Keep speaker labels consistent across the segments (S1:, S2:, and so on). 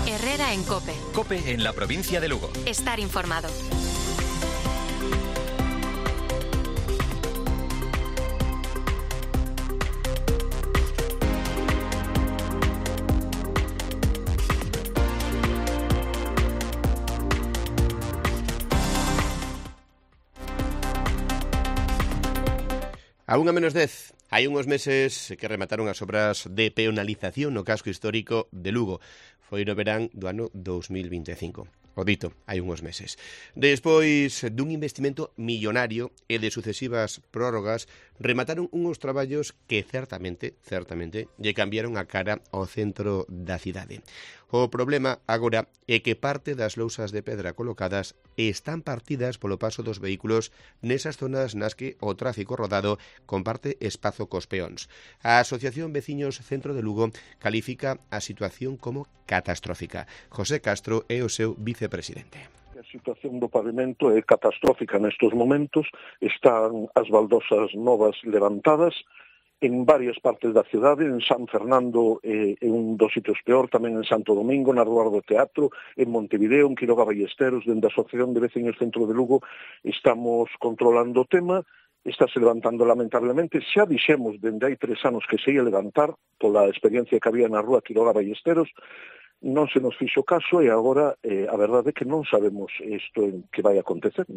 S1: Herrera en COPE.
S2: COPE en la provincia de Lugo.
S1: Estar informado.
S3: A 1:10, hai unhos meses que remataron as obras de peonalización no casco histórico de Lugo. Foi no verán do ano 2025. O dito, hai unhos meses. Despois dun investimento millonario e de sucesivas prórrogas, remataron unhos traballos que certamente, lle cambiaron a cara ao centro da cidade. O problema agora é que parte das lousas de pedra colocadas están partidas polo paso dos vehículos nesas zonas nas que o tráfico rodado comparte espazo cos peóns. A Asociación Veciños Centro de Lugo califica a situación como catastrófica. José Castro é o seu vicepresidente.
S4: A situación do pavimento é catastrófica nestes momentos. Están as baldosas novas levantadas en varias partes da cidade, en San Fernando é un dos sitios peor, tamén en Santo Domingo, na Rúa do Teatro, en Montevideo, en Quiroga Ballesteros. Dende a Asociación de Veciños Centro de Lugo estamos controlando o tema. Estáse levantando lamentablemente. Xa dixemos dende hai 3 anos que se ia levantar pola experiencia que había na Rúa Quiroga Ballesteros. Non se nos fixo caso e agora a verdade é que non sabemos isto en que vai acontecer.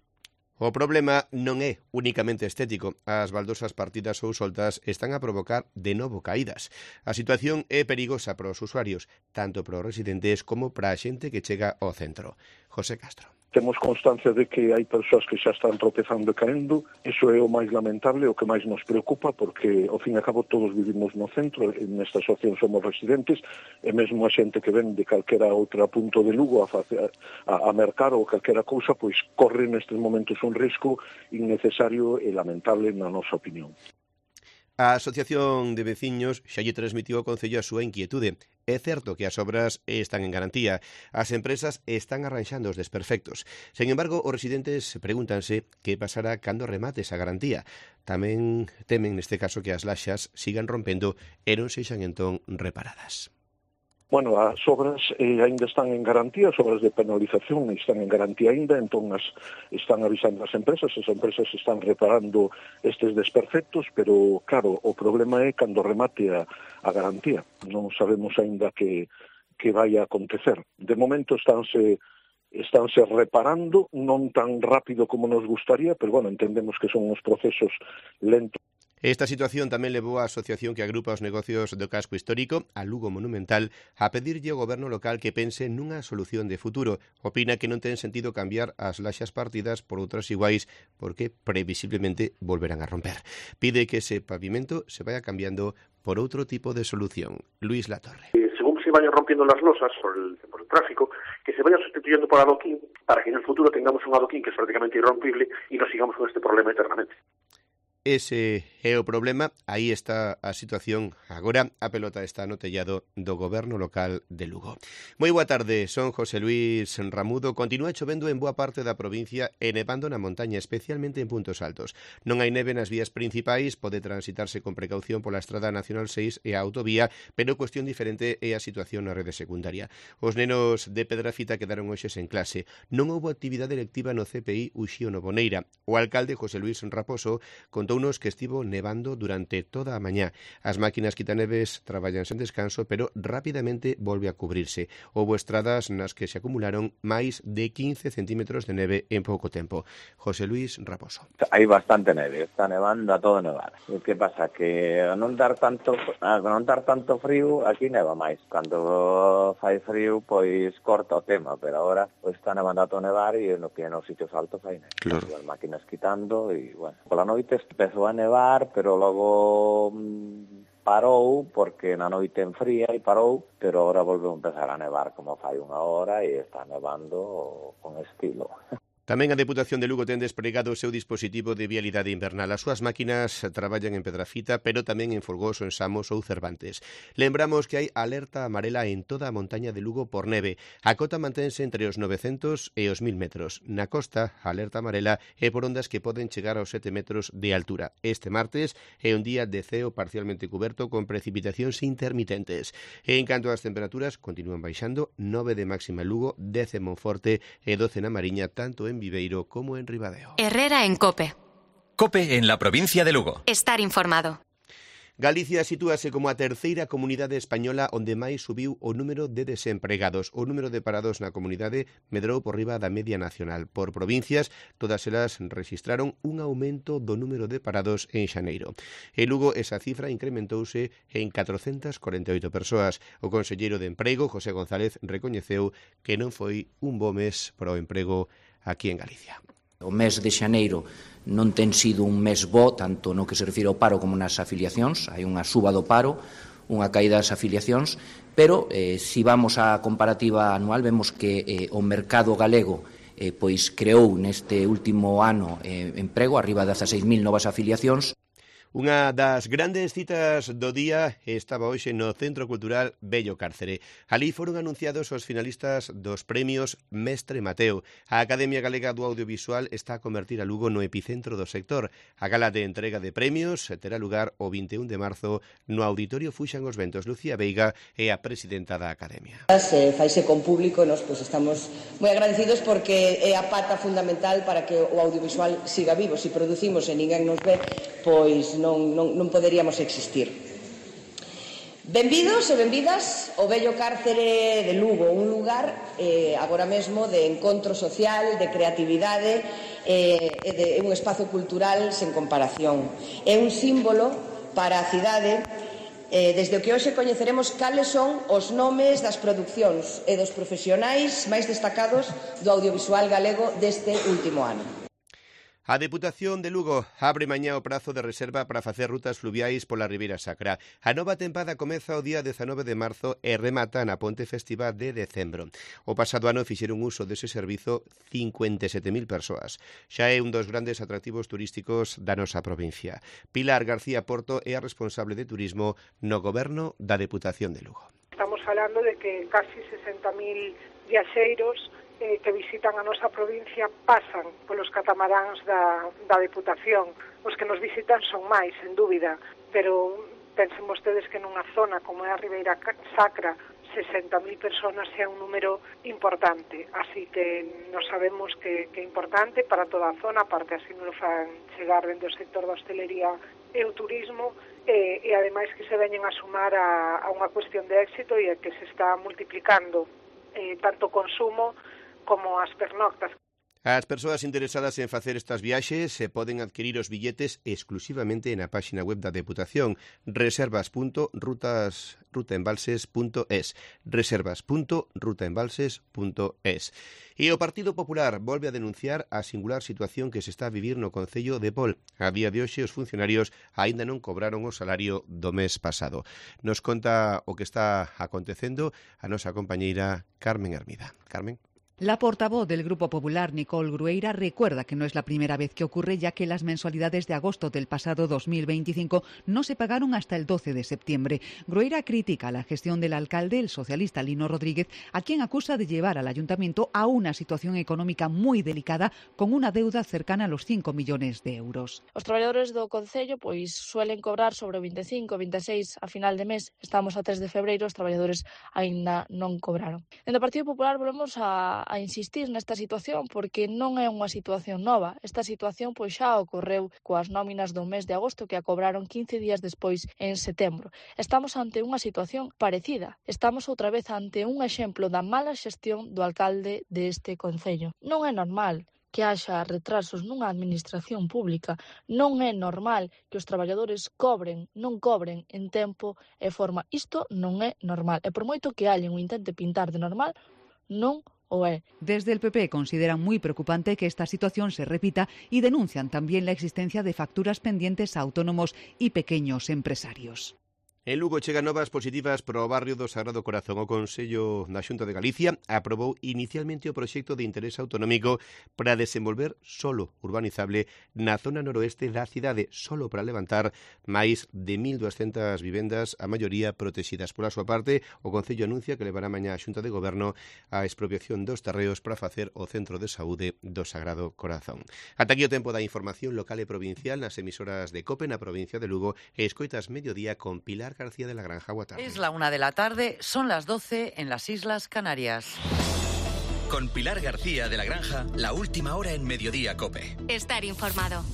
S3: O problema non é únicamente estético. As baldosas partidas ou soltas están a provocar de novo caídas. A situación é perigosa para os usuarios, tanto para os residentes como para a xente que chega ao centro. José Castro.
S4: Temos constancia de que hai persoas que xa están tropezando e caendo. Iso é o máis lamentable, o que máis nos preocupa, porque, ao fin e a cabo, todos vivimos no centro, nesta asociación somos residentes, e mesmo a xente que ven de calquera outra punto de Lugo a mercar ou calquera cousa, pois corre nestes momentos un risco innecesario e lamentable na nosa opinión.
S3: A Asociación de Veciños xa lle transmitiu ao Concello a súa inquietude. É certo que as obras están en garantía. As empresas están arranxando os desperfectos. Sen embargo, os residentes pregúntanse que pasará cando remate esa garantía. Tamén temen neste caso que as laxas sigan rompendo e non sexan entón reparadas.
S4: Bueno, as obras ainda están en garantía, as obras de penalización están en garantía ainda, entón están avisando as empresas están reparando estes desperfectos, pero claro, o problema é cando remate a garantía. Non sabemos ainda que vai a acontecer. De momento estánse reparando, non tan rápido como nos gustaría, pero bueno, entendemos que son uns procesos lentos.
S3: Esta situación tamén levou a asociación que agrupa os negocios do casco histórico, a Lugo Monumental, a pedirlle ao goberno local que pense nunha solución de futuro. Opina que non ten sentido cambiar as laxas partidas por outras iguais porque previsiblemente volverán a romper. Pide que ese pavimento se vaya cambiando por outro tipo de solución. Luis Latorre.
S5: Según se vayan rompiendo las losas por el tráfico, que se vaya sustituyendo por adoquín para que en el futuro tengamos un adoquín que es prácticamente irrompible y no sigamos con este problema eternamente.
S3: Ese é o problema, aí está a situación. Agora a pelota está no tellado do goberno local de Lugo. Moi boa tarde, son José Luis Ramudo. Continúa chovendo en boa parte da provincia e nevando na montaña, especialmente en puntos altos. Non hai neve nas vías principais, pode transitarse con precaución pola Estrada Nacional 6 e a autovía, pero cuestión diferente é a situación na rede secundaria. Os nenos de Pedrafita quedaron hoxes en clase. Non houbo actividade lectiva no CPI Uxío Novoneira. O alcalde José Luis Raposo contounos que estivo nevando durante toda a mañá. As máquinas quitaneves traballan sen descanso, pero rapidamente volve a cubrirse. Houbo estradas nas que se acumularon máis de 15 centímetros de neve en pouco tempo. José Luis Raposo.
S6: Hai bastante neve, está nevando a todo nevar. O que pasa que ao non dar tanto frío, aquí neva máis. Cando fai frío, pois corta o tema, pero agora pois está nevando a todo nevar e no que nos sitios altos hai neve.
S3: Claro.
S6: As máquinas quitando e, bueno, pola noite empezou a nevar, pero logo parou, porque na noite enfría e parou, pero agora volveu a empezar a nevar como fai unha hora e está nevando con estilo.
S3: Tamén a Deputación de Lugo ten desplegado o seu dispositivo de vialidade invernal. As súas máquinas traballan en Pedrafita, pero tamén en Folgoso, en Samos ou Cervantes. Lembramos que hai alerta amarela en toda a montaña de Lugo por neve. A cota mantense entre os 900 e os 1000 metros. Na costa, a alerta amarela é por ondas que poden chegar aos 7 metros de altura. Este martes é un día de ceo parcialmente cuberto con precipitacións intermitentes. E en canto ás temperaturas, continúan baixando, 9 de máxima en Lugo, 10 en Monforte e 12 na Mariña, tanto en Viveiro como en Ribadeo.
S1: Herrera en COPE.
S2: COPE en la provincia de Lugo.
S1: Estar informado.
S3: Galicia sitúase como a terceira comunidade española onde máis subiu o número de desempregados. O número de parados na comunidade medrou por riba da media nacional. Por provincias, todas elas registraron un aumento do número de parados en xaneiro. En Lugo, esa cifra incrementouse en 448 persoas. O conselleiro de Emprego, José González, recoñeceu que non foi un bo mes para o emprego aquí en Galicia.
S7: O mes de xaneiro non ten sido un mes bo, tanto no que se refire ao paro como nas afiliacións. Hai unha suba do paro, unha caída das afiliacións, pero se vamos á comparativa anual vemos que o mercado galego pois creou neste último ano emprego, arriba de 16.000 novas afiliacións.
S3: Unha das grandes citas do día estaba hoxe no Centro Cultural Bello Cárcere. Alí foron anunciados os finalistas dos premios Mestre Mateo. A Academia Galega do Audiovisual está a convertir a Lugo no epicentro do sector. A gala de entrega de premios terá lugar o 21 de marzo no Auditorio Fuxan os Ventos. Lucía Veiga é a presidenta da Academia.
S8: Faise con público, nos estamos moi agradecidos porque é a pata fundamental para que o audiovisual siga vivo. Se producimos e ninguén nos ve, pois non poderíamos existir. Benvidos e benvidas ao Bello Cárcere de Lugo, un lugar agora mesmo de encontro social, de creatividade e de un espazo cultural sen comparación. É un símbolo para a cidade desde o que hoxe coñeceremos cales son os nomes das producións e dos profesionais máis destacados do audiovisual galego deste último ano.
S3: A Deputación de Lugo abre mañá o prazo de reserva para facer rutas fluviais pola Ribeira Sacra. A nova tempada comeza o día 19 de marzo e remata na Ponte Festiva de decembro. O pasado ano fixeron uso dese servizo 57.000 persoas. Xa é un dos grandes atractivos turísticos da nosa provincia. Pilar García Porto é a responsable de turismo no goberno da Deputación de Lugo.
S9: Estamos falando de que casi 60.000 viaxeiros que visitan a nosa provincia pasan polos catamaráns da Deputación. Os que nos visitan son máis, sen dúbida, pero pensen vostedes que nunha zona como é a Ribeira Sacra 60.000 personas é un número importante, así que nos sabemos que é importante para toda a zona, aparte así nos fan chegar dentro do sector da hostelería e o turismo, e ademais que se veñen a sumar a unha cuestión de éxito e que se está multiplicando tanto o consumo como as pernoctas.
S3: As persoas interesadas en facer estas viaxes poden adquirir os billetes exclusivamente na páxina web da Deputación reservas.rutaembalses.es reservas.rutaembalses.es. E o Partido Popular volve a denunciar a singular situación que se está a vivir no Concello de Pol. A día de hoxe os funcionarios aínda non cobraron o salario do mes pasado. Nos conta o que está acontecendo a nosa compañeira Carmen Hermida. Carmen.
S10: La portavoz del Grupo Popular, Nicole Grueira, recuerda que no es la primera vez que ocurre, ya que las mensualidades de agosto del pasado 2025 no se pagaron hasta el 12 de septiembre. Grueira critica la gestión del alcalde, el socialista Lino Rodríguez, a quien acusa de llevar al ayuntamiento a una situación económica muy delicada, con una deuda cercana a los 5 millones de euros.
S11: Os traballadores do Concello pois suelen cobrar sobre 25, 26 a final de mes. Estamos a 3 de febreiro, os traballadores aínda non cobraron. En o Partido Popular volvemos a insistir nesta situación porque non é unha situación nova. Esta situación pois xa ocorreu coas nóminas do mes de agosto que a cobraron 15 días despois en setembro. Estamos ante unha situación parecida. Estamos outra vez ante un exemplo da mala xestión do alcalde deste concello. Non é normal que haxa retrasos nunha administración pública. Non é normal que os traballadores non cobren en tempo e forma. Isto non é normal. E por moito que alguén o intente pintar de normal, non o é.
S10: Desde el PP consideran muy preocupante que esta situación se repita y denuncian también la existencia de facturas pendientes a autónomos y pequeños empresarios.
S3: En Lugo chegan novas positivas para o barrio do Sagrado Corazón. O Consello da Xunta de Galicia aprobou inicialmente o proxecto de interés autonómico para desenvolver solo urbanizable na zona noroeste da cidade, solo para levantar máis de 1.200 vivendas, a maioría protegidas. Pola súa parte, o Concello anuncia que levará mañá a Xunta de Goberno a expropiación dos terreos para facer o Centro de Saúde do Sagrado Corazón. Ata aquí o tempo da información local e provincial nas emisoras de COPE na provincia de Lugo e escoitas Mediodía con Pilar García de la Granja.
S12: Es la 1 de la tarde, son las 12 en las Islas Canarias.
S2: Con Pilar García de la Granja, la última hora en Mediodía COPE.
S1: Estar informado.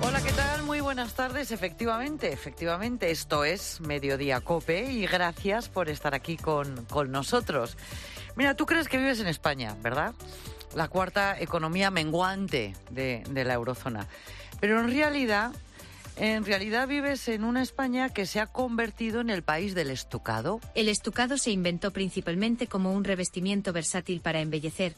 S12: Hola, ¿qué tal? Muy buenas tardes. Efectivamente, esto es Mediodía COPE y gracias por estar aquí con nosotros. Mira, tú crees que vives en España, ¿verdad? La cuarta economía menguante de la eurozona. Pero en realidad vives en una España que se ha convertido en el país del estucado.
S13: El estucado se inventó principalmente como un revestimiento versátil para embellecer,